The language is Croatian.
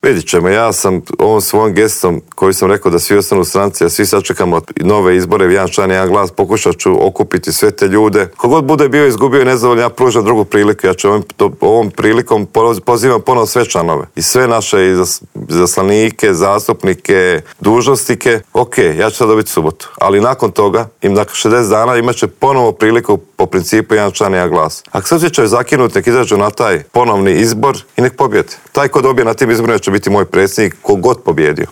Vidit ćemo, ja sam ovom svojom gestom koji sam rekao da svi ostanu stranci, a svi sačekamo nove izbore, jedan član, jedan glas, pokušat ću okupiti sve te ljude. Kogod bude bio izgubio i nezadovoljan, ja pružam drugu priliku. Ja ću ovom prilikom pozivam ponovo sve članove i sve naše izaslanike, zastupnike, dužnosnike. Ok, ja ću sad dobiti subotu, ali nakon toga, nakon 60 dana imat će ponovo priliku po principu jedan član, jedan glas. Ako se osjećaju zakinuti, nek izađu na taj ponovni izbor i nek pobjede. Taj ko dobije na tim izborima će biti moj predsjednik, kogod pobjedio.